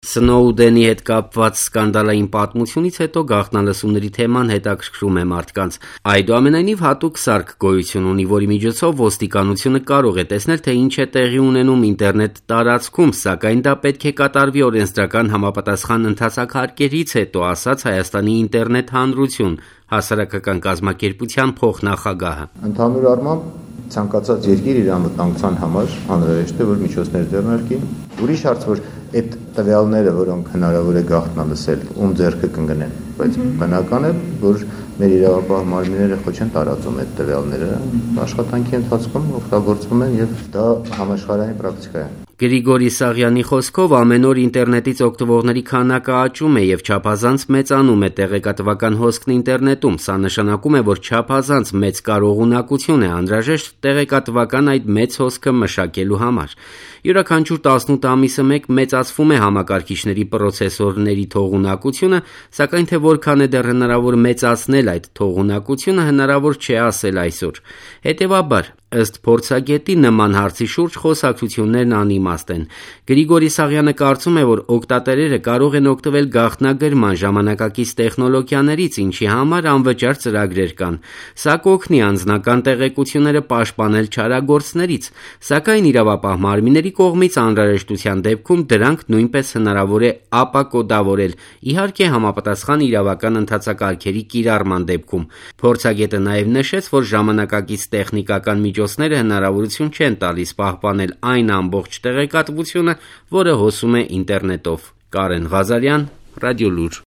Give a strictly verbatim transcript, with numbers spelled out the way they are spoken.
Սնոուդենի հետ կապված սկանդալային պատմությունից հետո գաղտնալսումների թեման հետաքրքրում է մարդկանց։ Այդուամենայնիվ հատուկ սարք գոյություն ունի, որի միջոցով ոստիկանությունը կարող է տեսնել, թե ինչ է տեղի ունենում ինտերնետ տարածքում, սակայն դա պետք է կատարվի օրենսդրական համապատասխան ընթացակարգերից հետո, ասաց Հայաստանի ինտերնետ հանրություն հասարակական կազմակերպության փոխնախագահը։ Ընդհանուր առմամբ ցանկացած երկիր իր անվտանգության համար անհրաժեշտ է, որ միջոցներ ձեռնարկի։ Ուրիշ հարց, որ այդ տվյալները, որոնք հնարավոր է գաղտնալսել, ում ձեռքը կընկնեն, բայց բնական է, որ մեր իրավապահ մարմինները խո չեն տարածում այդ տվյալները, աշխատանքի ընթացքում օգտագործվում են եւ դա համաշխարհային պրակտիկա է։ Գրիգորի Սաղյանի խոսքով ամեն օր ինտերնետից օգտվողների քանակը աճում է եւ չափազանց մեծանում է տեղեկատվական հոսքն ինտերնետում։ Սա նշանակում է, որ չափազանց մեծ կարողունակություն է անհրաժեշտ տեղեկատվական այդ մեծ հոսքը մշակելու համար։ Յուրաքանչյուր տասնութ ամիսը մեկ մեծացվում է համակարգիչների պրոցեսորների թողունակությունը, սակայն թե որքան է դեռ հնարավոր մեծացնել այդ թողունակությունը, հնարավոր չէ ասել այսօր։ Հետևաբար, ըստ փորձագետի, նման հարցի շուրջ խոսակցություններն անիմաստ են։ Գրիգորի Սաղյանը կարծում է, որ օգտատերերը կարող են օգտվել գաղտնագրման ժամանակակից տեխնոլոգիաներից, ինչի համար անվճար ծրագրեր կան։ Սա կօգնի անձնական տեղեկությունները պաշտպանել չարագործներից, սակայն իրավապահ մարմինների կողմից անհրաժեշտության դեպքում դրանք նույնպես հնարավոր է ապակոդավորել, իհարկե համապատասխան իրավական ընթացակարգերի կիրառման դեպքում։ Փորձագետը նաև նշեց, որ ժամանակակից տեխնիկական միջոցները հնարավորություն չեն տալիս պահպանել այն ամբողջ տեղեկատվությունը, որը հոսում է ինտերնետով։ Կարեն Ղազարյան, Ռադիոլուր։